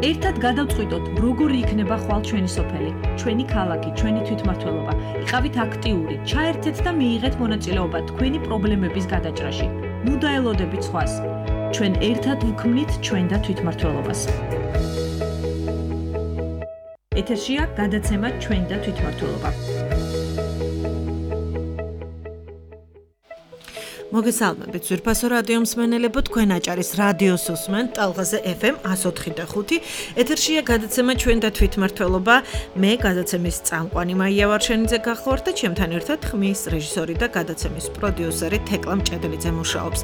ერთად გადავწყვიტოთ, როგორი იქნება ხვალ ჩვენი სოფელი, ჩვენი ქალაქი, ჩვენი თვითმმართველობა. იყავით აქტიური, ჩაერთეთ და მიიღეთ მონაწილეობა თქვენი პრობლემების გადაჭრაში. ნუ დაელოდებით სხვას. ჩვენ ერთად ვქმნით ჩვენ და თვითმმართველობას. ეთერშია გადაცემა ჩვენ და თვითმმართველობა. მოგესალმებით ძვირფასო რადიო მსმენელებო, თქვენ აჭარის რადიოს უსმენთ ტალღაზე FM 104.5. ეთერშია გადაცემა ჩვენ და თვითმმართველობა. მე გადაცემის წამყვანი მაია ვარშენიძე გახლავართ და ჩემთან ერთად ხმის რეჟისორი და გადაცემის პროდიუსერი თეკლა მჭედლიძე მუშაობს.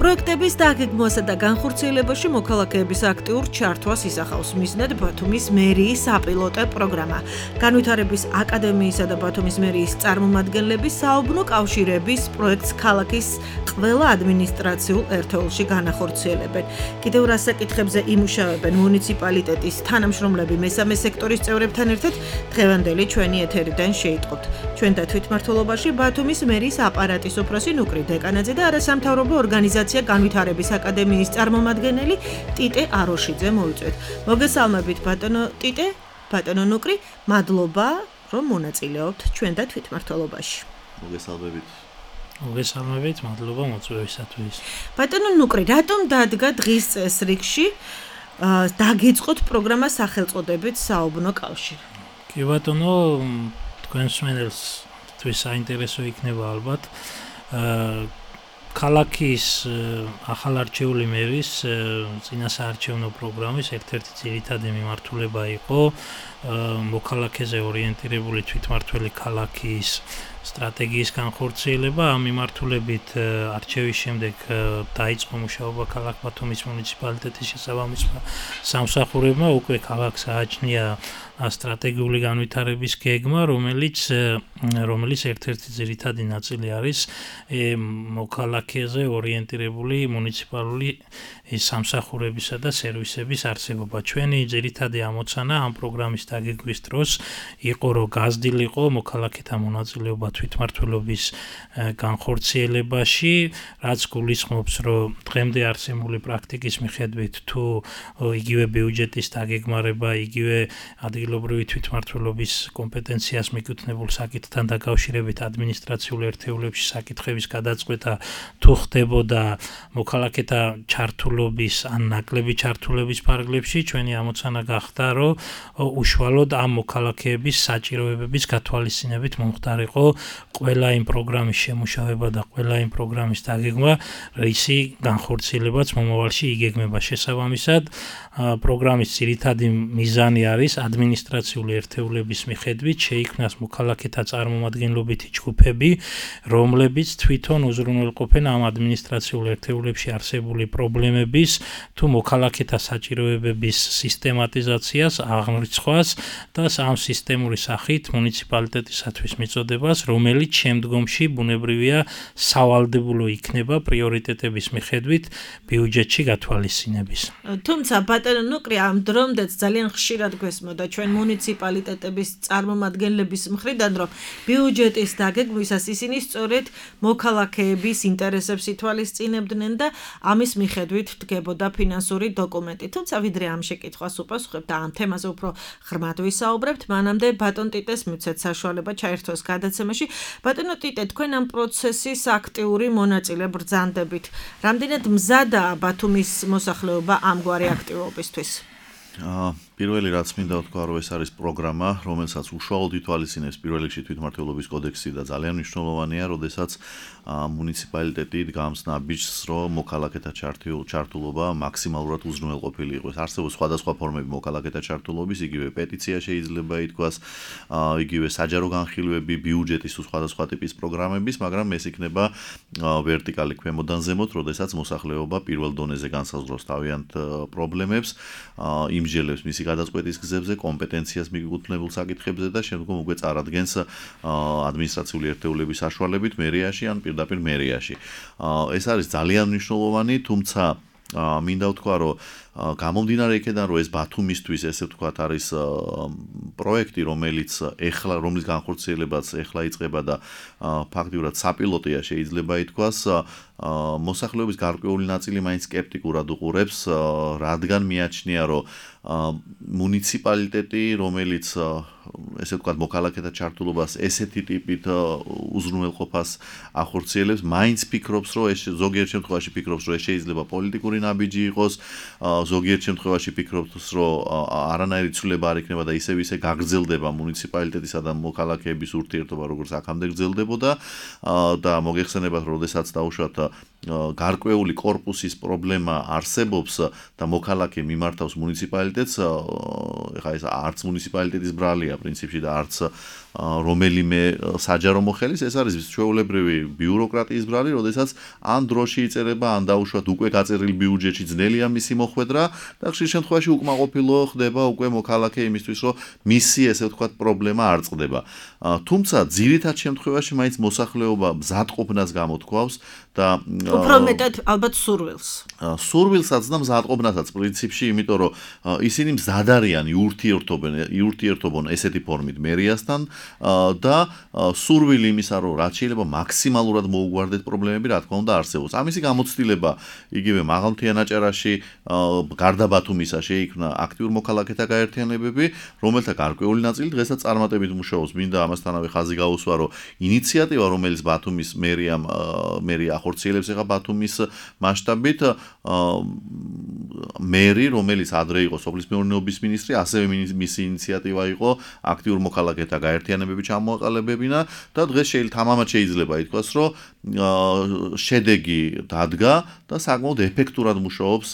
პროექტების დაგეგმვასა და განხორციელებაში მოქალაქეების აქტიურ ჩართვას ისახავს მიზნად ბათუმის მერიის საპილოტო პროგრამა. განვითარების აკადემიისა და ბათუმის მერიის წარმომადგენლები საუბნო კავშირების პროექტს ქალაქის ყველა ადმინისტრაციულ ერთეულში განახორციელებენ. კიდევ რა საკითხებზე იმუშავებენ მუნიციპალიტეტის თანამშრომლები მესამე სექტორის წევრებთან ერთად დღევანდელი ჩვენი ეთერიდან შეიტყობთ. ჩვენ და თვითმმართველობაში ბათუმის მერიის აპარატის უფროსი ნუკრი დეკანაძე და არასამთავრობო ორგანიზაცია განვითარების აკადემიის წარმომადგენელი ტიტე აროშიძე მოვიწვევთ. მოგესალმებით ბატონო ტიტე, ბატონო ნუკრი, მადლობა რომ მონაწილეობთ ჩვენ და თვითმმართველობაში. მოგესალმებით, მადლობა მოწვევისათვის. ბატონო ნუკრი, რატომ დადგა დღის წესრიგში დაგეწყოთ პროგრამა სახელწოდებით საუბნო კავშირი? კი ბატონო, თქვენ მსმენელსთვის საინტერესო იქნება ალბათ. ქალაქის ახალარჩეული მერის წინასაარჩევნო პროგრამის ერთ-ერთი ძირითადი მიმართულება იყო მოქალაქეზე ორიენტირებული თვითმმართველი ქალაქის სტრატეგიის განხორციელება. ამ მიმართულებით არჩევის შემდეგ დაიწყო მუშაობა ქალაქ ბათუმის მუნიციპალიტეტის შესაბამის სამსახურებმა. უკვე ქალაქს ააჩნია სტრატეგიული განვითარების გეგმა, რომელიც ერთ-ერთი ძირითადი ნაწილი არის მოქალაქეზე ორიენტირებული მუნიციპალური სამსახურებისა და სერვისების არსებობა. ჩვენი ძირითადი ამოცანა ამ პროგრამის დაგეგმვის დროს იყო, რომ გაზრდილიყო მოქალაქეთა მონაწილეობა თვითმმართველობის განხორციელებაში, რაც გულისხმობს, რომ დღემდე არსებული პრაქტიკის მიხედვით თუ იგივე ბიუჯეტის დაგეგმარება, იგივე ადგილობრივი თვითმმართველობის კომპეტენციას მიკუთვნებულ საკითხთან დაკავშირებით ადმინისტრაციულ ერთეულებში საკითხების გადაწყვეტა თუ ხდებოდა მოქალაქეთა ჩართულობის ან ნაკლები ჩართულების ფარგლებში, ჩვენი ამოცანა გახდა, რომ უშუალოდ ამ მოქალაქეების საჭიროებების გათვალისწინებით მომხდარიყო ყველა იმ პროგრამის შემუშავება და ყველა იმ პროგრამის დაგეგმა, რისი განხორციელებაც მომავალში იგეგმება. შესაბამისად, პროგრამის ძირითადი მიზანი არის ადმინისტრაციული ერთეულების მიხედვით შეიქმნას მოქალაქეთა წარმომადგენლობითი ჯგუფები, რომლებიც თვითონ უზრუნველყოფენ ამ ადმინისტრაციულ ერთეულებში არსებული პრობლემების თუ მოქალაქეთა საჭიროებების სისტემატიზაციას, აღრიცხვას და ამ სისტემური სახით მუნიციპალიტეტისათვის მიწოდებას, რომელიც შემდგომში ბუნებრივია სავალდებულო იქნება პრიორიტეტების მიხედვით ბიუჯეტში გათვალისწინების. თუმცა ბატონო ნუკრი, ამ დრომდეც ძალიან ხშირად გვესმოდა ჩვენ მუნიციპალიტეტების წარმომადგენლების მხრიდან, რომ ბიუჯეტის დაგეგმვისას ისინი სწორედ მოქალაქეების ინტერესებს ითვალისწინებდნენ და ამის მიხედვით დგებოდა ფინანსური დოკუმენტი. თუმცა ვიდრე ამ შეკითხვას უპასუხებთ და ამ თემაზე უფრო ღრმად ვისაუბრებთ, მანამდე ბატონ ტიტეს მივცეთ საშუალება ჩაერთოს გადაცემაში. ბატონო ტიტე, თქვენ ამ პროცესის აქტიური მონაწილე ბრძანდებით. რამდენად მზადაა ბათუმის მოსახლეობა ამგვარი აქტივობისთვის? პირველი რაც მინდა ვთქვა, რომ ეს არის პროგრამა, რომელსაც უშუალოდ ითვალისწინებს პირველ რიგში თვითმმართველობის კოდექსი და ძალიან მნიშვნელოვანია, როდესაც მუნიციპალიტეტი დგამს ნაბიჯს, რომ მოქალაქეთა ჩართულობა მაქსიმალურად უზრუნველყოფილი იყოს. არსებობს სხვადასხვა ფორმები მოქალაქეთა ჩართულობის, იგივე პეტიცია შეიძლება ითქვას, იგივე საჯარო განხილვები, ბიუჯეტის თუ სხვადასხვა ტიპის პროგრამების, მაგრამ ეს იქნება ვერტიკალი ქვემოდან ზემოთ, როდესაც მოსახლეობა პირველ დონეზე განსაზღვრავს თავიანთ პრობლემებს, იმსჯელებს მისი გადაწყვეტის გზებზე, კომპეტენციას მიკუთვნებულ საკითხებზე და შემდგომ უკვე წარადგენს ადმინისტრაციული ერთეულების საშუალებით მერიაში ან პირდაპირ მერიაში. ეს არის ძალიან მნიშვნელოვანი, თუმცა მინდა ვთქვა, რომ გამომდინარე იქედან რომ ეს ბათუმისთვის ესე ვთქვათ არის პროექტი რომელიც რომლის განხორციელებაც ეხლა იწყება და ფაქტიურად საპილოტია შეიძლება ითქვას მოსახლეობის გარკვეული ნაწილი მაინც სკეპტიკურად უყურებს რადგან მიაჩნია რომ მუნიციპალიტეტი რომელიც ესე ვთქვათ მოქალაქეთა ჩართულობას ესეთი ტიპით უზრუნველყოფას ახორციელებს მაინც ფიქრობს რომ ეს ზოგიერთ შემთხვევაში ფიქრობს რომ ეს შეიძლება პოლიტიკური ნაბიჯი იყოს ზოგიერთ შემთხვევაში ფიქრობს რომ არანაირი ცვლილება არ იქნება და ისევ გაგრძელდება მუნიციპალიტეტისა და მოქალაქეების ურთიერთობა როგორც აქამდე გრძელდებოდა და მოგეხსენებათ რომ შესაძაც დაუშვათ გარკვეული კორპუსის პრობლემა არსებობს და მოქალაქე მიმართავს მუნიციპალიტეტს ეხლა ეს არც მუნიციპალიტეტის ბრალია პრინციპში და არც რომელიმე საჯარო მოხელის ეს არის ჩვეულებრივი ბიუროკრატიის ბრალი, როდესაც ან დროში იწერება, ან დაუშვათ უკვე გაწერილი ბიუჯეტში ძნელია მისი მოხვედრა და ხშირ შემთხვევაში უკმაყოფილო ხდება უკვე მოქალაქე იმისთვის, რომ მისი ესე ვთქვათ პრობლემა არ წყდება. თუმცა ძირითად შემთხვევაში მაინც მოსახლეობა მზადყოფნას გამოთქვავს და უფრო მეტად ალბათ სურვილსაც და მზადყოფნასაც პრინციპში, იმიტომ რომ ისინი მზად არიან იურთიერთობენ ესეთი ფორმით მერიასთან და სურვილი იმისა, რომ რაც შეიძლება მაქსიმალურად მოუგვარდეთ პრობლემები, რა თქმა უნდა არსებობს. ამისი გამოცდილება იგივე მაღალმთიანაჭარაში გარდა ბათუმისა შეიქმნა აქტიურ მოქალაქეთა გაერთიანებები, რომელთა გარკვეული ნაწილი დღესაც წარმატებით მუშაობს. მინდა ამასთანავე ხაზი გაუსვა, რომ ინიციატივა, რომელიც ბათუმის მერია ახორციელებს ეხა ბათუმის მასშტაბით, მერი, რომელიც ადრე იყო სოფლის მეურნეობის მინისტრი, ასევე მისი ინიციატივა იყო აქტიურ მოქალაქეთა გაერთიანებები ჩამოაყალიბებინა და დღეს თამამად შეიძლება ითქვას, რომ შედეგი დადგა და საკმაოდ ეფექტურად მუშაობს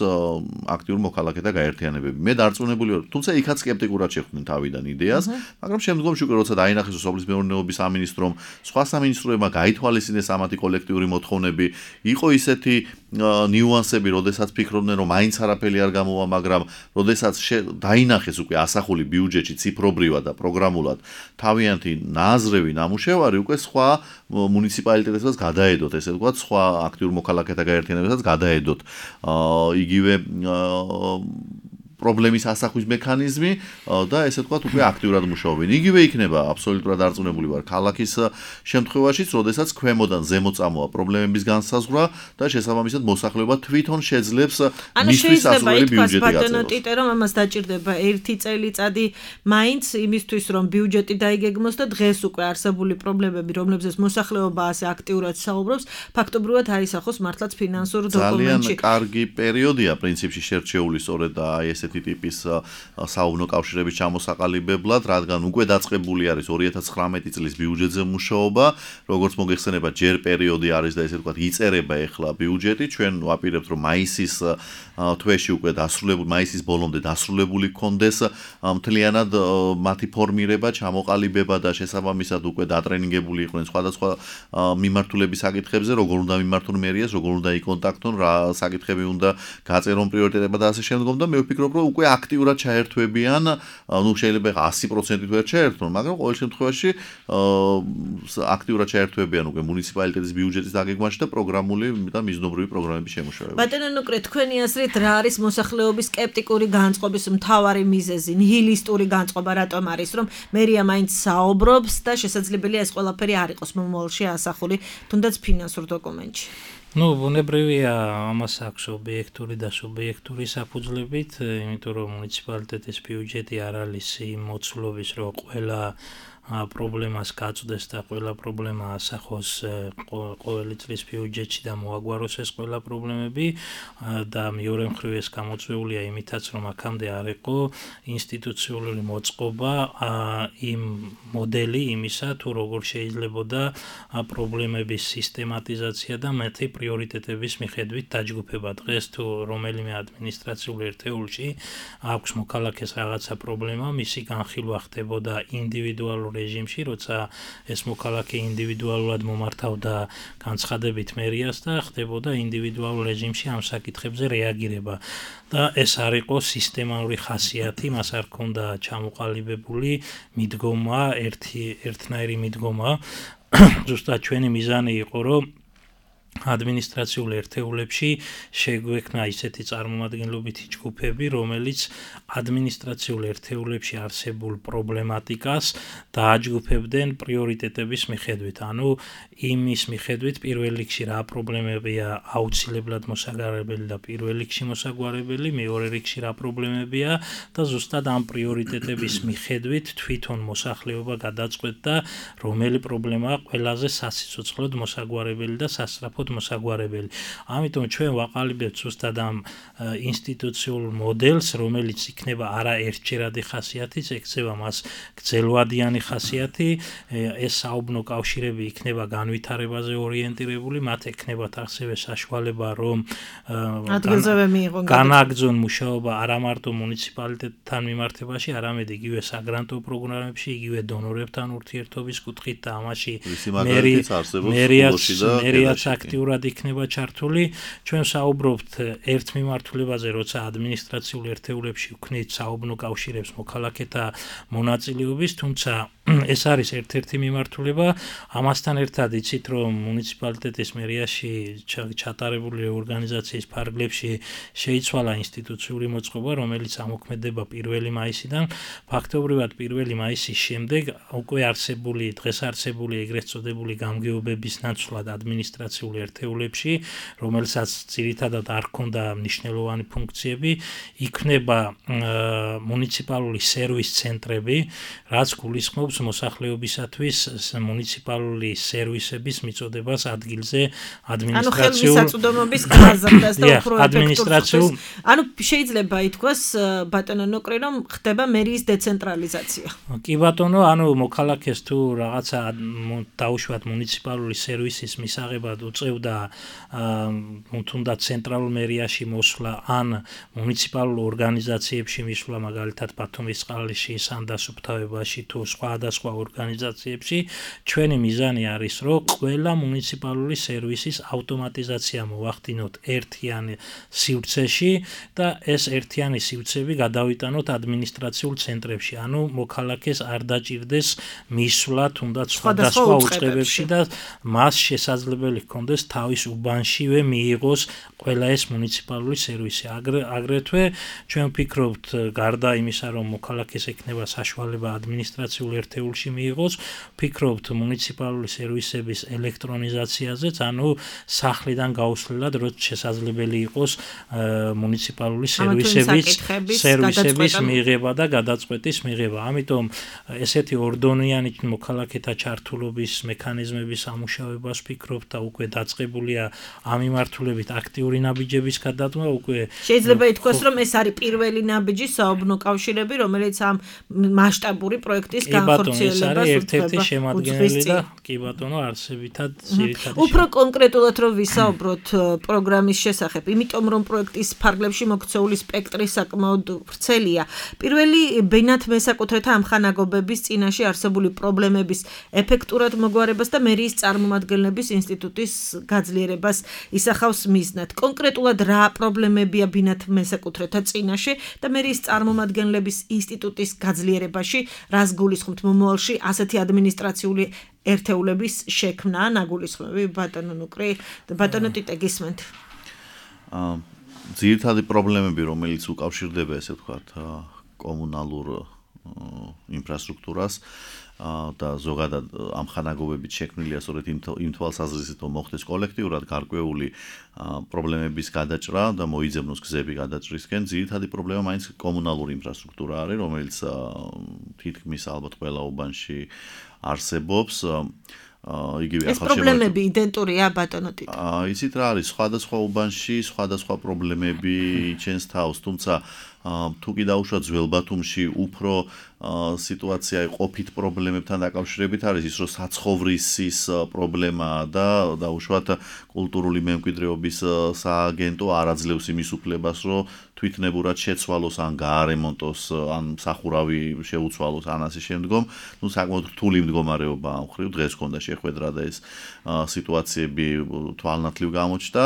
აქტიურ მოქალაქეთა გაერთიანებები. მე დარწმუნებული ვარ, თუმცა იქაც სკეპტიკურად შეხვდნენ თავიდან იდეას, მაგრამ შემდგომში უკვე როცა დაინახეს სოფლის მეურნეობის სამინისტრომ, სხვა სამინისტროებმა გაითვალისწინეს ამათი კოლექტიური მოთხოვნები, იყო ისეთი ნიუანსები, როდესაც ფიქრობდნენ, რომ მაინც არაფერი არ გამოვა, მაგრამ როდესაც დაინახეს უკვე ასახული ბიუჯეტში ციფრობრივად და პროგრამულად თავიანთი ნაზრევი ნამუშევარი, უკვე სხვა მუნიციპალიტეტებსაც გადაედოთ, ესე ვთქვათ, სხვა აქტიურ მოქალაქეთა გაერთიანებებსაც გადაედოთ იგივე პრობლემის ასახვის მექანიზმი და ესე ვთქვათ, უკვე აქტიურად მუშაობენ. იგივე იქნება აბსოლუტურად დარწმუნებული ვარ ქალაქის შემთხვევაშიც, როდესაც ქვემოდან ზემოთ წამოვა პრობლემების განსაზღვრა და შესაბამისად მოსახლეობა თვითონ შეძლებს მისთვის ასრულებელი ბიუჯეტი გაწევას. რომ ამას დაჭირდება ერთი წელიწადი მაინც იმისთვის, რომ ბიუჯეტი დაიგეგმოს და დღეს უკვე არსებული პრობლემები, რომლებზეც მოსახლეობა ასე აქტიურად საუბრობს, ფაქტობრივად აისახოს მართლაც ფინანსურ დოკუმენტში. ძალიან კარგი პერიოდია პრინციპში შერჩეული სწორედ აი ესეთი ტიპის საუბნო კავშირების ჩამოსაყალიბებლად, რადგან უკვე დაწყებული არის 2019 წლის ბიუჯეტზე მუშაობა, როგორც მოგეხსენება, ჯერ პერიოდი არის და ესე ვთქვათ, იწერება ეხლა ბიუჯეტი, ჩვენ ვაპირებთ, რომ მაისის თვეში უკვე მაისის ბოლომდე დასრულებული გქონდეს მთლიანად მათი ფორმირება, ჩამოყალიბება და შესაბამისად უკვე დატრენინგებული იყვნენ სხვადასხვა მიმართულების საკითხებზე, როგორ უნდა მიმართონ მერიას, როგორ უნდა იკონტაქტონ, რა საკითხები უნდა გაწერონ პრიორიტეტებად და ასე შემდგომ და მე ვფიქრობ, რომ უკვე აქტიურად ჩაერთვებიან, შეიძლება 100%-ით ვერ ჩაერთვონ, მაგრამ ყოველ შემთხვევაში აქტიურად ჩაერთვებიან უკვე მუნიციპალიტეტის ბიუჯეტის დაგეგმვაში და პროგრამული და მიზნობრივი პროგრამების შემუშავებაში. ბატონო ნუკრე, თქვენი აზრით რა არის მოსახლეობის სკეპტიკური განწყობის მთავარი მიზეზი, ნიჰილისტური განწყობა რატომ არის, რომ მერია მაინც საუბრობს და შესაძლებელია ეს ყველაფერი არ იყოს მომავალში ასახული, თუნდაც ფინანსურ დოკუმენტში. ბუნებრივია ამას აქვს ობიექტური და სუბიექტური საფუძვლებით, იმიტომ რომ მუნიციპალიტეტის ბიუჯეტი არ არის იმ მოცულობის, რომ ყველა პრობლემას გაწვდეს და ყველა პრობლემა ასახოს ყოველი წლის ბიუჯეტში და მოაგვაროს ეს ყველა პრობლემები და მეორე მხრივ ეს გამოწვეულია იმითაც, რომ აქამდე არ იყო ინსტიტუციური მოწყობა იმ მოდელი იმისა, თუ როგორ შეიძლებოდა პრობლემების სისტემატიზაცია და მათი პრიორიტეტების მიხედვით დაჯგუფება. დღეს თუ რომელიმე ადმინისტრაციულ ერთეულში აქვს მოქალაქეს რაღაცა პრობლემა, მისი განხილვა ხდებოდა ინდივიდუალურ რეჟიმში, როცა ეს მოქალაქე ინდივიდუალურად მომართავდა განცხადებით მერიას და ხდებოდა ინდივიდუალურ რეჟიმში ამ საკითხებზე რეაგირება. და ეს არ იყო სისტემატური ხასიათი, მას არ ჰქონდა ჩამოყალიბებული მიდგომა, ერთნაირი მიდგომა. ზუსტად ჩვენი მიზანი იყო, რომ ადმინისტრაციულ ერთეულებში შეგვექნა ისეთი წარმომადგენლობითი ჯგუფები, რომელიც ადმინისტრაციულ ერთეულებში არსებულ პრობლემატიკას დააჯგუფებდნენ პრიორიტეტების მიხედვით. ანუ იმის მიხედვით პირველ რიგში რა პრობლემებია აუცილებლად მოსაგვარებელი და პირველ რიგში მოსაგვარებელი, მეორე რიგში რა პრობლემებია და ზუსტად ამ პრიორიტეტების მიხედვით თვითონ მოსახლეობა გადაწყვეტდა, რომელი პრობლემაა ყველაზე სასიცოცხლოდ მოსაგვარებელი და სასწრაფოდ მოსაგვარებელი. ამიტომ ჩვენ ვაყალიბებთ ზუსტად ამ ინსტიტუციურ მოდელს, რომელიც იქნება არა ერთჯერადი ხასიათის, ექცევა მას გრძელვადიანი ხასიათი, ეს საუბნო კავშირები იქნება განვითარებაზე ორიენტირებული, მათ ექნებათ ასევე საშუალება, რომ ადგილზევე მიიღონ განაგრძონ მუშაობა არა მარტო მუნიციპალიტეტთან მიმართებაში, არამედ იგივე საგრანტო პროგრამებში, იგივე დონორებთან ურთიერთობის კუთხით და ამაში მერიაც აქტიურად იქნება ჩართული. ჩვენ საუბრობთ ერთ მიმართულებაზე, როცა ადმინისტრაციულ ერთეულებში ვქნით საუბნო კავშირებს მოქალაქეთა მონაწილეობის, თუმცა ეს არის ერთ-ერთი მიმართულება. ამასთან ერთად იცით, რომ მუნიციპალიტეტის მერიაში ჩატარებული ორგანიზაციის ფარგლებში შეიცვალა ინსტიტუციური მოწყობა, რომელიც ამოქმედება 1 მაისიდან. ფაქტობრივად 1 მაისის შემდეგ უკვე დღეს არსებული ეგრეთ წოდებული გამგეობების ნაცვლად ადმინისტრაციულ ერთეულებში, რომელსაც ძირითადად არ ჰქონდა მნიშვნელოვანი ფუნქციები, იქნება მუნიციპალური სერვის ცენტრები, რაც გულისხმობს მოსახლეობისათვის მუნიციპალური სერვისების მიწოდებას ადგილზე ადმინისტრაციულ ხელმისაწვდომობის გაზრდას და უფრო ადმინისტრაციულ ანუ შეიძლება ითქვას ბატონო ნუკრი, რომ ხდება მერიის დეცენტრალიზაცია. კი ბატონო, ანუ მოქალაქეს თუ რაღაცა დაუშვათ მუნიციპალური სერვისის მისაღებად უწევდა თუნდაც ცენტრალურ მერიაში მოსვლა ან მუნიციპალურ ორგანიზაციებში მისვლა, მაგალითად ბათუმისწყალში, სანდასუფთავებაში თუ სხვადასხვა ორგანიზაციებში, ჩვენი მიზანი არის, რომ ყველა მუნიციპალური სერვისის ავტომატიზაცია მოვახდინოთ ერთიან სივრცეში და ეს ერთიანი სივრცეები გადავიტანოთ ადმინისტრაციულ ცენტრებში. ანუ მოქალაქეს არ დაჭირდეს მისვლა თუნდაც სხვადასხვა უწყებებში და მას შესაძლებელი ჰქონდეს თავის უბანშივე მიიღოს ყველა ეს მუნიციპალური სერვისი. აგრეთვე ჩვენ ვფიქრობთ, გარდა იმისა, რომ მოქალაქეს ექნება საშუალება ადმინისტრაციულ ერთეულში მიიღოს, ვფიქრობთ მუნიციპალური სერვისების ელექტრონიზაციაზეც, ანუ სახლიდან გაუსვლელად, როცა შესაძლებელი იყოს მუნიციპალური სერვისების მიღება და გადაწყვეტის მიღება. ამიტომ ესეთი ორდონიანი მოქალაქეთა ჩართულობის მექანიზმების ამუშავებას ვფიქრობ და უკვე დაწყებულია ამ მიმართულებით აქტიური ნაბიჯების გადადგმა. უკვე შეიძლება ითქვას, რომ ეს არის პირველი ნაბიჯი საუბნო კავშირები, რომელიც ამ მასშტაბური პროექტის განხორციელებას ეს არის ერთ-ერთი შემადგენელი და კი ბატონო არსებითად ძირითადად უფრო კონკრეტულად რომ ვისაუბროთ პროგრამის შესახებ, იმიტომ რომ პროექტის ფარგლებში მოქცეული სპექტრი საკმაოდ ვრცელია. პირველი ბინათ მესაკუთრეთა ამხანაგობების წინაშე არსებული პრობლემების ეფექტურად მოგვარებას და მერიის წარმომადგენლების ინსტიტუტის გაძლიერებას ისახავს მიზნად. კონკრეტულად რა პრობლემებია ბინათ მესაკუთრეთა წინაშე და მერიის წარმომადგენლების ინსტიტუტის გაძლიერებაში, რას გულისხმობთ მომავალში ასეთი ადმინისტრაციული ერთეულების შექმნა, ნაგულისხმები ბატონო ნუკრი და ბატონო ტიტე გისმენთ. ძირითადი პრობლემები, რომელიც უკავშირდება, ესე ვთქვათ, კომუნალურ ინფრასტრუქტურას და ზოგადად ამხანაგობებით შექმნილია სწორედ იმ თვალსაზრისით, რომ მოხდეს კოლექტიურად გარკვეული პრობლემების გადაჭრა და მოიძებნოს გზები გადაჭრისკენ. ძირითადი პრობლემა მაინც კომუნალური ინფრასტრუქტურა არის, რომელიც თითქმის ალბათ ყველა უბანში არსებობს. ეს პრობლემები იდენტურია ბატონო ტიტო. იცით რა არის, სხვადასხვა უბანში სხვადასხვა პრობლემები იჩენს თავს, თუმცა თუ კი დაუშვათ ძველ ბათუმში უფრო სიტუაცია ყოფით პრობლემებთან დაკავშირებით არის ის, რომ საცხოვრისის პრობლემაა და დაუშვათ კულტურული მემკვიდრეობის სააგენტო არ აძლევს იმის უფლებას, რომ თვითნებურად შეცვალოს ან გაარემონტოს ან სახურავი შეუცვალოს ან ასე შემდგომ. ნუ საკმაოდ რთული მდგომარეობა ამ ხრივ დღეს ქონდა შეხვედრა და ეს სიტუაციები თვალნათლივ გამოჩნდა.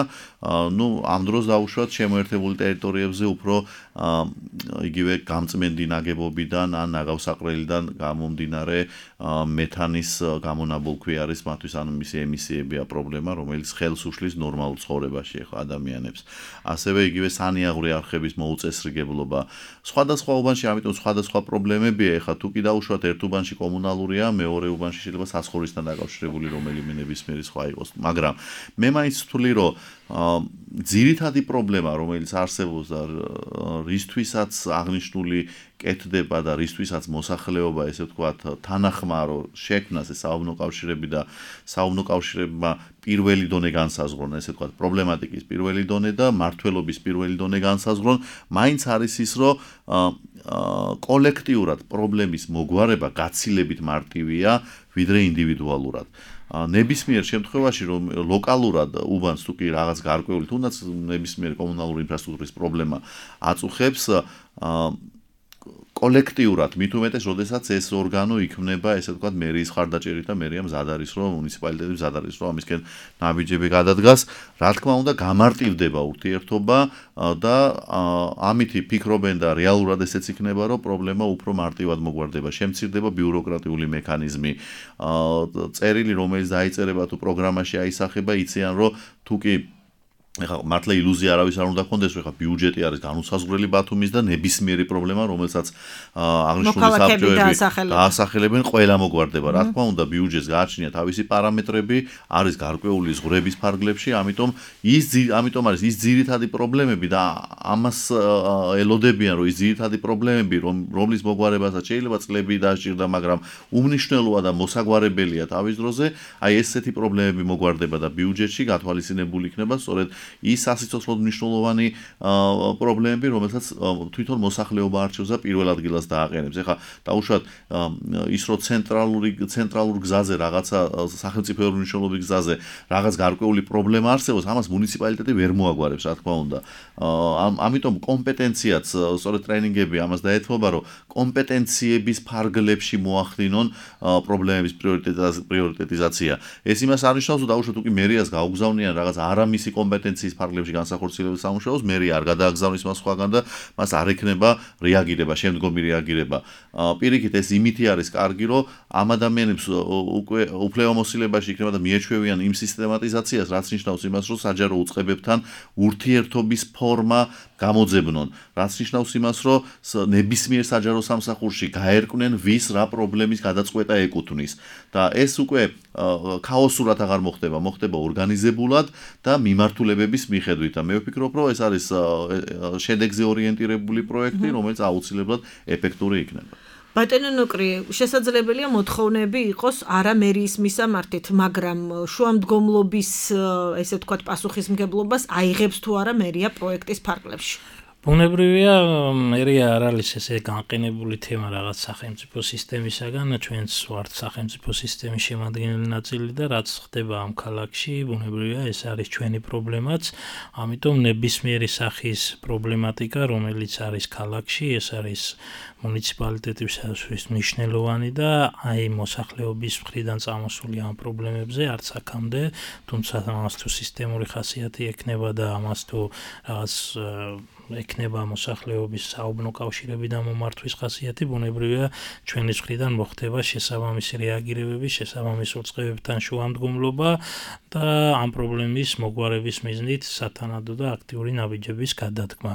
ნუ ამ დროს დაუშვათ შემოერთებული ტერიტორიებზე უფრო იგივე გამწმენდი ნაგებობიდან ან ნაგავსაყრელიდან გამომდინარე მეთანის გამონაბოლქვი არის მათთვის, ანუ მისი ემისიებია პრობლემა, რომელიც ხელს უშლის ნორმალურ ცხოვრებაში ახლა ადამიანებს. ასევე იგივე სანიაღვრე არხების მოუწესრიგებლობა. სხვადასხვა უბანში, ამიტომ სხვადასხვა პრობლემებია. ახლა თუ კი დაუშვათ ერთ უბანში კომუნალურია, მეორე უბანში შეიძლება საცხოვრისთან დაკავშირებული რომელიმე ნებისმიერი სხვა იყოს. მაგრამ მე მაინც ვთვლი, რომ ძირითადი პრობლემა, რომელიც არსებობს და რისთვისაც აღნიშნული კეთდება და რისთვისაც მოსახლეობა, ესე ვთქვათ, თანახმარო შექმნას ეს საუბნო კავშირები და საუბნო კავშირებმა პირველი დონე განსაზღვრონ, ესე ვთქვათ, პრობლემატიკის პირველი დონე და მართლობის პირველი დონე განსაზღვრონ, მაინც არის ის, რომ კოლექტიურად პრობლემის მოგვარება გაცილებით მარტივია, ვიდრე ინდივიდუალურად. ნებისმიერ შემთხვევაში, რომ ლოკალურად უბანს თუ კი რაღაც გარკვეული, თუნდაც ნებისმიერი კომუნალური ინფრასტრუქტურის პრობლემა აწუხებს, კოლექტიურად, მით უმეტეს, როდესაც ეს ორგანო იქმნება, ესე ვთქვათ, მერიის ხარდაჭერით და მერია მზად არის, რომ მუნიციპალიტეტი მზად არის, რომ ამისკენ ნაბიჯები გადადგას, რა თქმა უნდა, გამარტივდება ურთიერთობა და ამითი ფიქრობენ და რეალურად ესეც იქნება, რომ პრობლემა უფრო მარტივად მოგვარდება, შემცირდება ბიუროკრატიული მექანიზმი, წერილი, რომელიც დაიწერება თუ პროგრამაში აისახება, იციან, რომ თუ კი ეხლა მართლა ილუზია არავის არ უნდა გქონდეს, რომ ეხლა ბიუჯეტი არის განუსაზღვრელი ბათუმის და ნებისმიერი პრობლემა, რომელსაც აღნიშნული საბჭოები დაასახელებენ, ყველა მოგვარდება. რა თქმა უნდა, ბიუჯეტს გააჩნია თავისი პარამეტრები, არის გარკვეული ზღვრების ფარგლებში, ამიტომ არის ის ძირითადი პრობლემები და ამას ელოდებიან, რომ ის ძირითადი პრობლემები, რომლის მოგვარებასაც შეიძლება წლები დასჭირდა, მაგრამ უმნიშვნელოა და მოსაგვარებელია თავის დროზე, აი ესეთი პრობლემები მოგვარდება და ბიუჯეტში გათვალისწინებული იქნება სწორედ ის სასიცოცხლოდ მნიშვნელოვანი პრობლემები, რომელსაც თვითონ მოსახლეობა არჩევს და პირველ ადგილას დააყენებს. ეხლა დაუშვათ ის, რომ ცენტრალურ გზაზე რაღაცა სახელმწიფოებრივი მნიშვნელობის გზაზე რაღაც გარკვეული პრობლემა არსებობს, ამას მუნიციპალიტეტი ვერ მოაგვარებს, რა თქმა უნდა. ამიტომ კომპეტენციაც, სწორედ ტრენინგები ამას დაეთმობა, რომ კომპეტენციების ფარგლებში მოახდინონ პრობლემების პრიორიტეტიზაცია. ეს იმას არნიშნავს, რომ დაუშვათ უკვე მერიას გაუგზავნიან რაღაც არამისი კომპეტენციის ფარგლებში განსახორციელების სამუშაოს, მერია არ გადააგზავნის მას სხვაგან და მას არ ექნება რეაგირება, შემდგომი რეაგირება. პირიქით ეს იმითი არის კარგი, რომ ამ ადამიანებს უკვე უფლებამოსილებაში იქნება და მიეჩვევიან იმ სისტემატიზაციას, რაც ნიშნავს იმას, რომ საჯარო უწყებებთან ურთიერთობის ფორმა გამოძებნონ, რაც ნიშნავს იმას, რომ ნებისმიერ საჯარო სამსახურში გაერკვნენ ვის რა პრობლემის გადაწყვეტა ეკუთვნის და ეს უკვე ქაოსურად აღარ მოხდება, მოხდება ორგანიზებულად და მიმართულებების მიხედვით და მე ვფიქრობ, რომ ეს არის შედეგზე ორიენტირებული პროექტი, რომელიც აუცილებლად ეფექტური იქნება. ბატონო ნუკრი, შესაძლებელია მოთხოვნები იყოს არა მერიის მისამართით, მაგრამ შუამდგომლობის, ესე ვთქვათ, პასუხისმგებლობას აიღებს თუ არა მერია პროექტის ფარგლებში. ბუნებრივია, მერია არ არის ესე განყენებული თემა რაღაც სახელმწიფო სისტემისაგან, ჩვენც ვართ სახელმწიფო სისტემის შემადგენელი ნაწილი და რაც ხდება ამ ქალაქში, ბუნებრივია, ეს არის ჩვენი პრობლემაც, ამიტომ ნებისმიერი სახის პრობლემატიკა, რომელიც არის ქალაქში, ეს არის მუნიციპალიტეტისთვის მნიშვნელოვანი და აი მოსახლეობის მხრიდან წამოსული ამ პრობლემებზე არც აქამდე, თუმცა ამას თუ სისტემური ხასიათი ექნება და ამას თუ რაღაც ექნება მოსახლეობის საუბნო კავშირები და მომართვის ხასიათი, ბუნებრივია ჩვენი მხრიდან მოხდება შესაბამისი რეაგირებები, შესაბამის უწყებებთან შუამდგომლობა და ამ პრობლემის მოგვარების მიზნით სათანადო და აქტიური ნაბიჯების გადადგმა.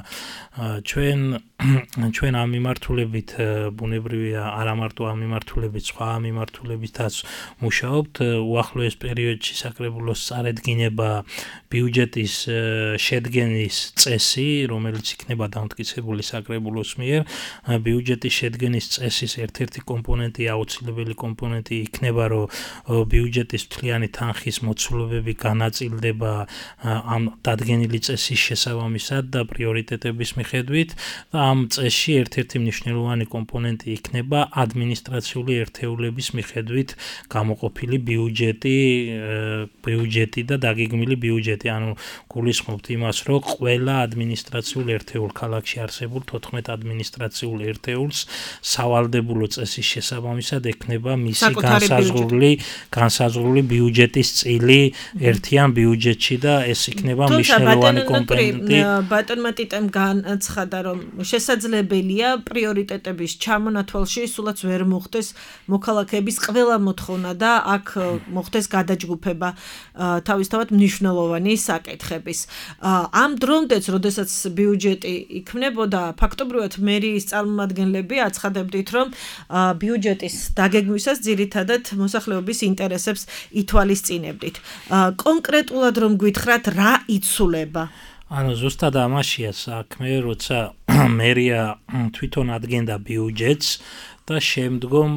ჩვენ ამ მიმართულებით ბუნებრივია არა მარტო ამ მიმართულებით, სხვა მიმართულებითაც მუშაობთ. უახლოეს პერიოდში საკრებულოს წარედგინება ბიუჯეტის შედგენის წესი, რომელიც იქნება დამტკიცებული საკრებულოს მიერ, ბიუჯეტის შედგენის წესის ერთ-ერთი კომპონენტი, აუცილებელი კომპონენტი იქნება, რომ ბიუჯეტის მთლიანი თანხის მოცულობები განაწილდება ამ დადგენილი წესის შესაბამისად და პრიორიტეტების მიხედვით და ამ წესში ერთ-ერთი მნიშვნელოვანი კომპონენტი იქნება ადმინისტრაციული ერთეულების მიხედვით გამოყოფილი ბიუჯეტი და დაგეგმილი ბიუჯეტი, ანუ გულისხმობთ იმას, რომ ყველა ადმინისტრაციული ერთეულ ქალაქში არსებულ 14 ადმინისტრაციულ ერთეულს სავალდებულო წესის შესაბამისად ექნება მისი განსაზღვრული ბიუჯეტის წილი ერთიან ბიუჯეტში და ეს იქნება მნიშვნელოვანი კომპონენტი. ბატონმა ტიტემ განაცხადა, რომ შესაძლებელია პრიორიტეტების ჩამონათვალში სულაც ვერ მოხდეს მოქალაქეების ყველა მოთხოვნა და აქ მოხდეს გადაჯგუფება თავისთავად მნიშვნელოვანი საკითხების. ამ დრომდეც, როდესაც ბიუჯეტი იქმნებოდა, ფაქტობრივად მერიის წარმომადგენლები აცხადებდით, რომ ბიუჯეტის დაგეგმვისას ძირითადად მოსახლეობის ინტერესებს ითვალისწინებდით. კონკრეტულად რომ გითხრათ, რა იცვლება? ანუ ზუსტად ამაშია საქმე, როცა მერია თვითონ ადგენდა ბიუჯეტს და შემდგომ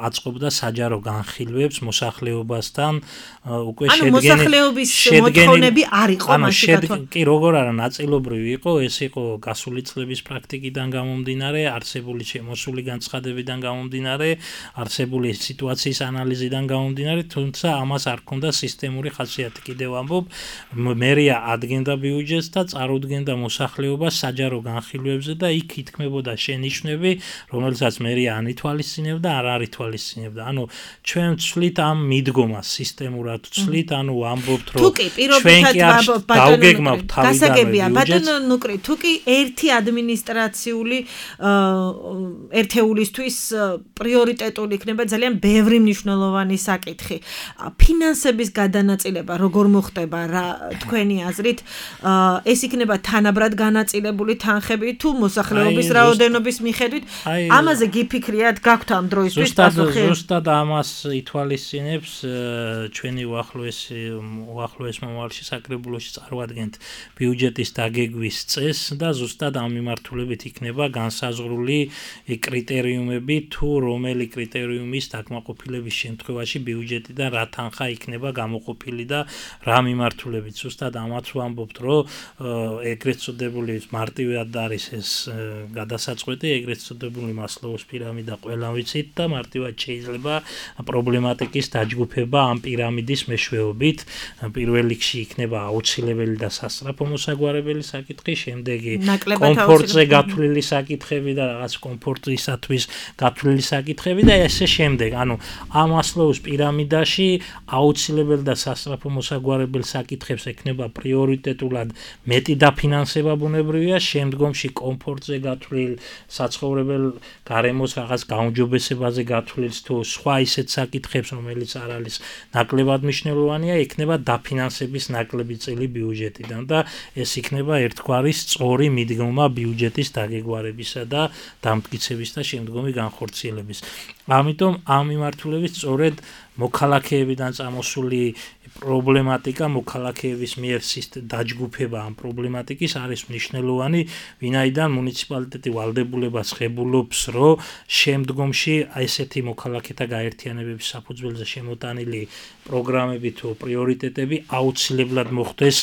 აწყობდა საჯარო განხილვებს მოსახლეობასთან უკვე მოსახლეობის მოთხოვნები არ იყო მაშინ კი როგორ არა ნაწილობრივი იყო ეს იყო გასული წლების პრაქტიკიდან გამომდინარე არსებული შემოსული განცხადებიდან გამომდინარე არსებული სიტუაციის ანალიზიდან გამომდინარე თუმცა ამას არ ჰქონდა სისტემური ხასიათი კიდევ ამბობ მერია ადგენდა ბიუჯეტს და წარუდგენდა მოსახლეობას საჯარო განხილვებზე და იქ ითქმებოდა შენიშვნები რომელსაც ან ითვალისწინებდა არ არითვალისწინებდა. ანუ ჩვენ ვცვლით ამ მიდგომას სისტემურად ვცვლით, ანუ ამბობთ რომ ჩვენ კი არ დავგეგმავთ თავიდანვე ბატონო ნუკრი, თუ კი ერთი ადმინისტრაციული ერთეულისთვის პრიორიტეტული იქნება ძალიან ბევრი მნიშვნელოვანი საკითხი. ფინანსების გადანაწილება როგორ მოხდება რა თქვენი აზრით? ეს იქნება თანაბრად განაწილებული თანხები თუ მოსახლეობის რაოდენობის მიხედვით? ამაზე ფიქრიათ გაქვთ ამ დროისთვის პასუხი? ზუსტად ამას ითვალისწინებს ჩვენი უახლოეს მომავალში საკრებულოში წარვადგენთ ბიუჯეტის დაგეგმვის წესს და ზუსტად ამ მიმართულებით იქნება განსაზღვრული კრიტერიუმები თუ რომელი კრიტერიუმის დაკმაყოფილების შემთხვევაში ბიუჯეტიდან რა თანხა იქნება გამოყოფილი და რა მიმართულებით. ზუსტად ამაც ვამბობთ, რომ ეგრეთ წოდებული მარტივად არის ეს გადასაწყვეტი, ეგრეთ წოდებული მასლოუს პირამიდა ყველა ვიცით და მარტივად შეიძლება პრობლემატიკის დაჯგუფება ამ პირამიდის მეშვეობით. პირველ რიგში იქნება აუცილებელი და სასწრაფო მოსაგვარებელი საკითხი, შემდეგი კომფორტზე გათვლილი საკითხები და რაღაც კომფორტისათვის გათვლილი საკითხები და ესე შემდეგ. ანუ ამ მასლოუს პირამიდაში აუცილებელი და სასწრაფო მოსაგვარებელი საკითხებს ექნება პრიორიტეტულად მეტი დაფინანსება ბუნებრივია, შემდგომში კომფორტზე გათვლილ საცხოვრებელ გარემოს რაღაც გაუმჯობესებაზე გათვლილს თუ სხვა ისეთ საკითხებს, რომელიც არ არის ნაკლებად მნიშვნელოვანია, იქნება დაფინანსების ნაკლები წილი ბიუჯეტიდან და ეს იქნება ერთგვარი სწორი მიდგომა ბიუჯეტის დაგეგმარებისა და დამტკიცების და შემდგომი განხორციელების. ამიტომ ამ მიმართულებით სწორედ მოქალაქეებიდან წამოსული პრობლემატიკა მოქალაქეების მიერ დაჯგუფება ამ პრობლემატიკის არის მნიშვნელოვანი, ვინაიდან მუნიციპალიტეტი ვალდებულებას ღებულობს, რომ შემდგომში ესეთი მოქალაქეთა გაერთიანებების საფუძველზე შემოტანილი პროგრამები თუ პრიორიტეტები აუცილებლად მოხდეს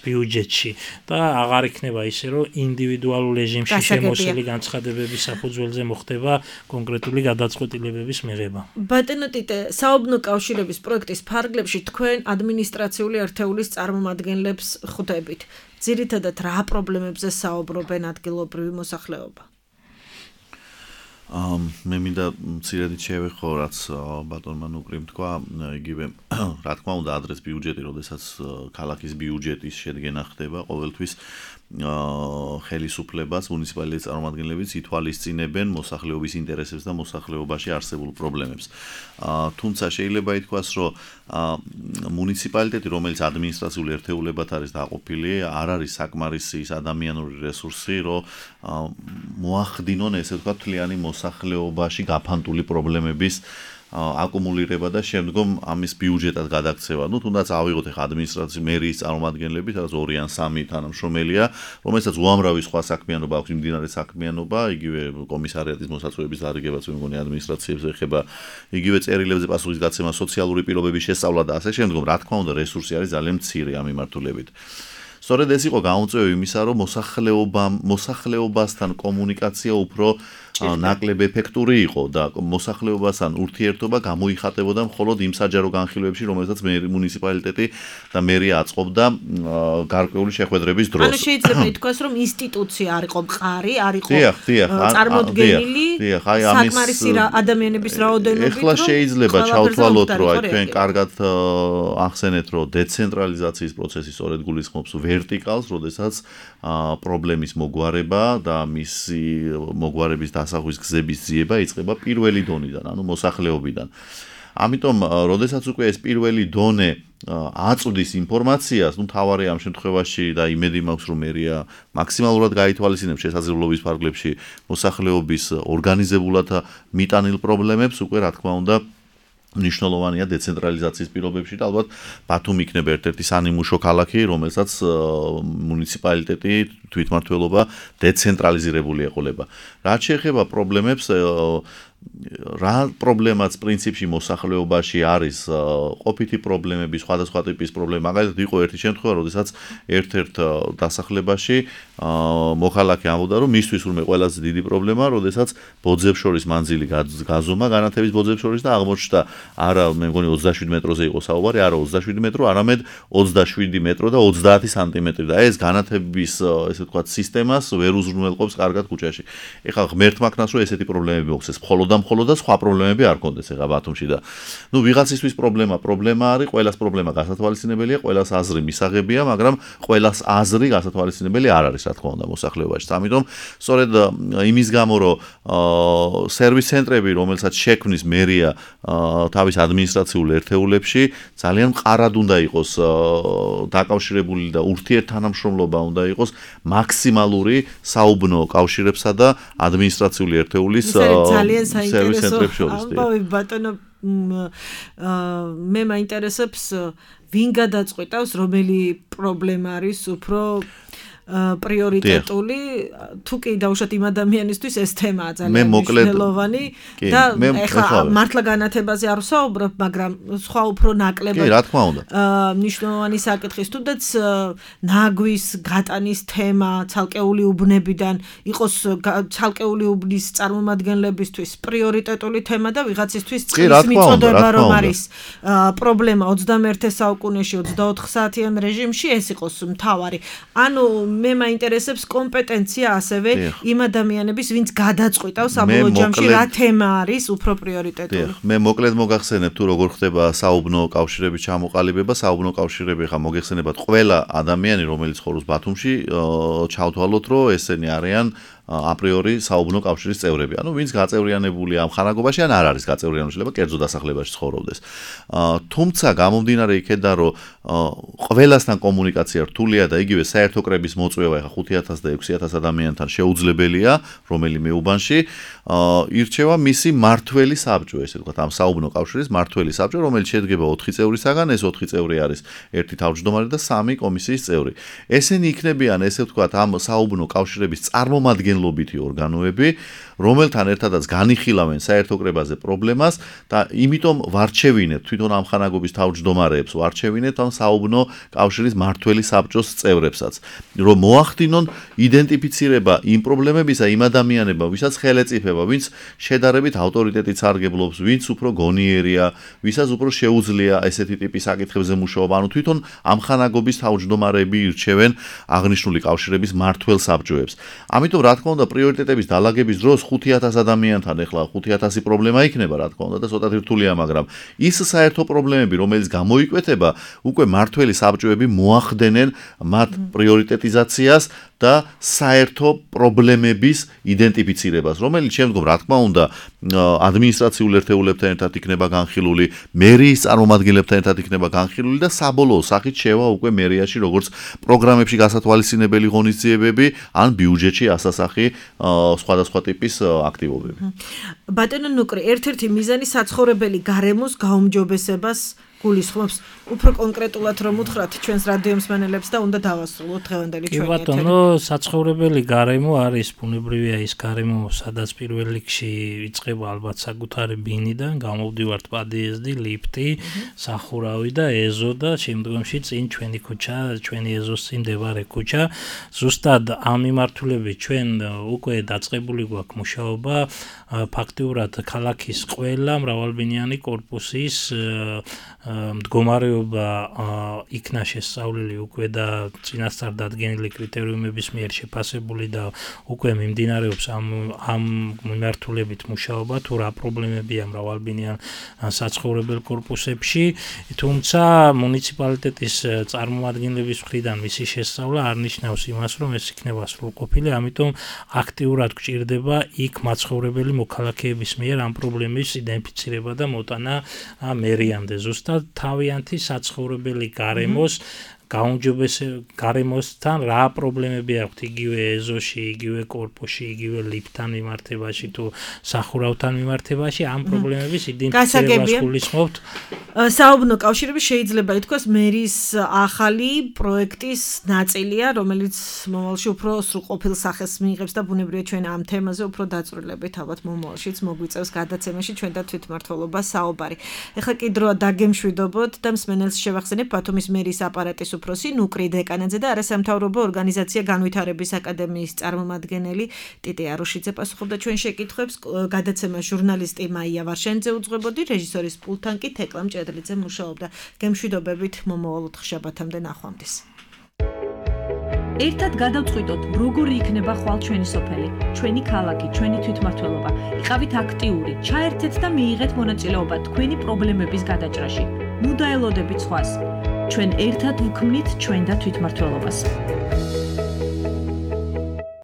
ბიუჯეტში და აღარ იქნება ისე, რომ ინდივიდუალურ რეჟიმში შემოსული განცხადებების საფუძველზე მოხდება კონკრეტული გადაწყვეტილებების მიღება. ბატონო ტიტე, საობნო კავშირების პროექტის ფარგლებში თქვენ ადმინისტრაციული ერთეულის წარმომადგენლებს ხვდებით. ძირითადად რა პრობლემებზე საუბრობენ ადგილობრივი მოსახლეობა? მე მინდა მცირედით შევეხო, რაც ბატონმა ნუკრიმ თქვა, იგივე რა თქმა უნდა ადრეს ბიუჯეტი, როდესაც ქალაქის ბიუჯეტის შედგენა ხდება, ყოველთვის ხელისუფლებას მუნიციპალიტეტის წარმომადგენლებიც ითვალისწინებენ მოსახლეობის ინტერესებს და მოსახლეობაში არსებულ პრობლემებს. თუმცა შეიძლება ითქვას, რომ მუნიციპალიტეტი, რომელიც ადმინისტრაციული ერთეულებად არის დაყოფილი, არ არის საკმარისი ის ადამიანური რესურსი, რომ მოახდინონ ესე ვთქვათ მთლიანი მოსახლეობაში გაფანტული პრობლემების აკუმულირება და შემდგომ ამის ბიუჯეტად გადაქცევა. Ну, თუნდაც ავიღოთ ახლა ადმინისტრაციის მერიის წარმომადგენლები, სადაც 2 ან 3 თანამშრომელია, რომელსაც უამრავი სხვა საქმიანობა აქვს, მიმდინარე საქმიანობა, იგივე კომისარიატის მოსაწვევების დარიგებაც მე მგონი ადმინისტრაციებს ეხება, იგივე წერილებზე პასუხის გაცემა, სოციალური პირობების შესწავლა და ასე შემდგომ. რა თქმა უნდა, რესურსი არის ძალიან მცირე ამ მიმართულებით. სწორედ ეს იყო გამოწვევა იმისა, რომ მოსახლეობასთან კომუნიკაცია უფრო ნაკლებ ეფექტური იყო და მოსახლეობასთან ურთიერთობა გამოიხატებოდა მხოლოდ იმ საჯარო განხილვებში, რომელსაც მუნიციპალიტეტი და მერია აწყობდა გარკვეული შეხვედრების დროს. ანუ შეიძლება ითქვას, რომ ინსტიტუცია არ იყო მყარი, არ იყო წარმოდგენილი საკმარისი ადამიანების რაოდენობით. ეხლა შეიძლება ჩავთვალოთ, რომ აი თქვენ კარგად ახსენეთ, რომ დეცენტრალიზაციის პროცესი სწორედ გულისხმობს ვერტიკალს, როდესაც პრობლემის მოგვარება და მისი მოგვარების დასახვის გზების ძიება იწყება პირველი დონიდან, ანუ მოსახლეობიდან. ამიტომ, როდესაც უკვე ეს პირველი დონე აწვდის ინფორმაციას, თავარი ამ შემთხვევაში და იმედი მაქვს, რომ მერია მაქსიმალურად გაითვალისწინებს შესაძლებლობის ფარგლებში მოსახლეობის ორგანიზებულად მიტანილ პრობლემებს, უკვე რა თქმა უნდა მნიშვნელოვანია დეცენტრალიზაციის პირობებში და ალბათ ბათუმი იქნება ერთ-ერთი სანიმუშო ქალაქი, რომელსაც მუნიციპალიტეტი თვითმმართველობა დეცენტრალიზირებული ეყოლება. რაც შეეხება პრობლემებს, რა პრობლემაც პრინციპში მოსახლეობაში არის ყოფითი პრობლემები, სხვადასხვა ტიპის პრობლემა. მაგალითად იყო ერთი შემთხვევა, როდესაც ერთ-ერთ დასახლებაში მოქალაქე ამბობდა, რომ მისთვის ურმე ყველაზე დიდი პრობლემა, როდესაც ბოძებს შორის მანძილი გაზომა, განათების ბოძებს შორის და აღმოჩნდა არა, მე მგონი 27 მეტროზე იყო საუბარი, არა 27 მეტრო, არამედ 27 მეტრო და 30 სანტიმეტრი და ეს განათების ესე ვთქვათ სისტემას ვერ უზრუნველყოფს კარგად ქუჩაში. ეხლა ღმერთმა ქნას რომ ესეთი პრობლემები მოხდეს. მხოლოდ და სხვა პრობლემები არ კონდეს ეხლა ბათუმში და ვიღაცისთვის პრობლემა არის, ყველას პრობლემა გასათვალისწინებელია, ყველას აზრი მისაღებია, მაგრამ ყველას აზრი გასათვალისწინებელი არ არის, რა თქმა უნდა, მოსახლეობაში. ამიტომ სწორედ იმის გამო, რომ სერვის ცენტრები, რომელსაც შექმნის მერია თავის ადმინისტრაციულ ერთეულებში, ძალიან მყარად უნდა იყოს დაკავშირებული და ურთიერთთანამშრომლობა უნდა იყოს მაქსიმალური საუბნო კავშირებსა და ადმინისტრაციული ერთეულის სერვის ცენტრებში შორის. ამბავი ბატონო, მე მაინტერესებს ვინ გადაწყვეტავს, რომელი პრობლემა არის უფრო პრიორიტეტული, თუ კი დაუშვათ იმ ადამიანისთვის ეს თემაა ძალიან მნიშვნელოვანი და ეხლა მართლა განათებაზე არ ვსაუბრობ, მაგრამ სხვა უფრო ნაკლებად. კი, რა თქმა უნდა. მნიშვნელოვანი საკითხის, თუნდაც ნაგვის გატანის თემა ცალკეული უბნებიდან იყოს ცალკეული უბნის წარმომადგენლებისთვის პრიორიტეტული თემა და ვიღაცისთვის წყლის მიწოდება რომ არის პრობლემა 21 საუკუნეში 24 საათიან რეჟიმში ეს იყოს მთავარი. ანუ მე მაინტერესებს კომპეტენცია ასევე იმ ადამიანების, ვინც გადაწყვეტავს საბოლოო ჯამში რა თემა არის უფრო პრიორიტეტული. მე მოკლედ მოგახსენებ თუ როგორ ხდება საუბნო კავშირების ჩამოყალიბება. საუბნო კავშირები ხა მოგეხსენებათ ყველა ადამიანი, რომელიც ცხოვრობს ბათუმში, ჩავთვალოთ, რომ ესენი არიან აპრიორი საუბნო კავშირის წევრები. ანუ ვინც გაწევრიანებულია ამ ხანაგობაში, ან არ არის გაწევრიანებული, შეიძლება კერძო დასახლებაში ცხოვრობდეს. თუმცა გამომდინარე იქედან, რომ ყველასთან კომუნიკაცია რთულია და იგივე საერთო კრების მოწვევა ეხა 5000 და 6000 ადამიანთან შეუძლებელია, რომელიმე უბანში ირჩევა მისი მართველი საბჭო, ესე ვთქვათ, ამ საუბნო კავშირის მართველი საბჭო, რომელიც შედგება 4 წევრისაგან, ეს 4 წევრი არის ერთი თავმჯდომარე და 3 კომისიის წევრი. ესენი იქნებიან, ესე ვთქვათ, ამ საუბნო კავშირების წარმომადგენლობითი ორგანოები, რომელთან ერთადაც განიხილავენ საერთო კრებაზე პრობლემას და იმიტომ ვარჩევინებთ თვითონ ამ ხანაგობის თავმჯდომარეებს, ვარჩევინებთ ამ საუბნო კავშირის მართველი საბჭოს წევრებსაც, რომ მოახდინონ იდენტიფიცირება იმ პრობლემებისა, იმ ადამიანებმა, ვისაც ხელეწიფება, ვინც შედარებით ავტორიტეტით სარგებლობს, ვინც უფრო გონიერია, ვისაც უფრო შეუძლია ესეთი ტიპის საკითხებზე მუშაობა, ანუ თვითონ ამ ხანაგობის თავმჯდომარეები ირჩევენ აღნიშნული კავშირების მართველ საბჭოებს. ამიტომ რა თქმა უნდა პრიორიტეტების დალაგების დროს 5000 ადამიანთან ეხლა 5000 პრობლემა იქნება, რა თქმა უნდა და ცოტა რთულია, მაგრამ ის საერთო პრობლემები, რომელიც გამოიკვეთება, უკვე მართველი საბჭოები მოახდენენ მათ პრიორიტეტიზაციას და საერთო პრობლემების იდენტიფიცირებას, რომელიც შემდგომ რა თქმა უნდა ადმინისტრაციულ ერთეულებთან ერთად იქნება განხილული, მერიის წარმომადგენლებთან ერთად იქნება განხილული და საბოლოო სახით შევა უკვე მერიაში როგორც პროგრამებში გასათვალისწინებელი ღონისძიებები ან ბიუჯეტში ასასახი სხვადასხვა ტიპის აქტივობები. ბატონო ნუკრი, ერთ-ერთი მიზანი საცხოვრებელი გარემოს გაუმჯობესებას გულისხმობს უფრო კონკრეტულად რომ უთხრათ ჩვენს რადიო მსმენელებს და უნდა დავასრულოთ დღევანდელი ჩვენი ეთერი. ბატონო, საცხოვრებელი გარემო არის ბუნებრივია ის გარემო, სადაც პირველ რიგში იწყება ალბათ საკუთარი ბინიდან, გამოვდივართ პადიეზდი, ლიფტი, სახურავი და ეზო და შემდგომში წინ ჩვენი ქუჩა, ჩვენი ეზოს წინ მდებარე ქუჩა. ზუსტად ამ მიმართულებით ჩვენ უკვე დაწყებული გვაქვს მუშაობა, ფაქტიურად ქალაქის ყველა მრავალბინიანი კორპუსის მდგომარეობა იქნა შესწავლილი უკვე და წინასწარ დადგენილი კრიტერიუმების მიერ შეფასებული და უკვე მიმდინარეობს ამ მიმართულებით მუშაობა, თუ რა პრობლემებია მრავალბინიან საცხოვრებელ კორპუსებში, თუმცა მუნიციპალიტეტის წარმომადგენლების მხრიდან მისი შესწავლა არ ნიშნავს იმას, რომ ეს იქნება სრულყოფილი, ამიტომ აქტიურად გვჭირდება იქ მაცხოვრებელი მოქალაქეების მიერ ამ პრობლემის იდენტიფიცირება და მოტანა მერიამდე. ზუსტად თავიანთი საცხოვრებელი გარემოს გარემოსთან რა პრობლემები აქვთ იგივე ეზოში, იგივე კორპუსში, იგივე ლიფტთან მიმართებაში თუ სახურავთან მიმართებაში, ამ პრობლემების იდენტიფიცირებას გულისხმობთ. საუბნო კავშირები შეიძლება ითქვას მერის ახალი პროექტის ნაწილია, რომელიც მომავალში უფრო სრულყოფილ სახეს მიიღებს და ბუნებრივია ჩვენ ამ თემაზე უფრო დაწვრილებით ალბათ მომავალშიც მოგვიწევს გადაცემაში ჩვენ და თვითმმართველობას საუბარი. ეხლა კი დროა დაგემშვიდობოთ და მსმენელს შევახსენებ ბათუმის მერის აპარატის უფროსი ნუკრი დეკანაძე და არასამთავრობო ორგანიზაცია განვითარების აკადემიის წარმომადგენელი ტიტე არუშიძე პასუხობდა ჩვენ შეკითხვებს. გადაცემა ჟურნალისტი მაია ვარშენიძე უძღვებოდი, რეჟისორის პულტთან კი თეკლა მჭედლიძე მუშაობდა. გემშვიდობებით მომავალ ოთხშაბათამდე ნახვამდის. ერთად გადავწყვიტოთ, როგორი იქნება ხვალ ჩვენი სოფელი, ჩვენი ქალაქი, ჩვენი თვითმმართველობა. იყავით აქტიური, ჩაერთეთ და მიიღეთ მონაწილეობა თქვენი პრობლემების გადაჭრაში. ნუ დაელოდებით სხვას. ჩვენ ერთად ვქმნით ჩვენ და თვითმმართველობას.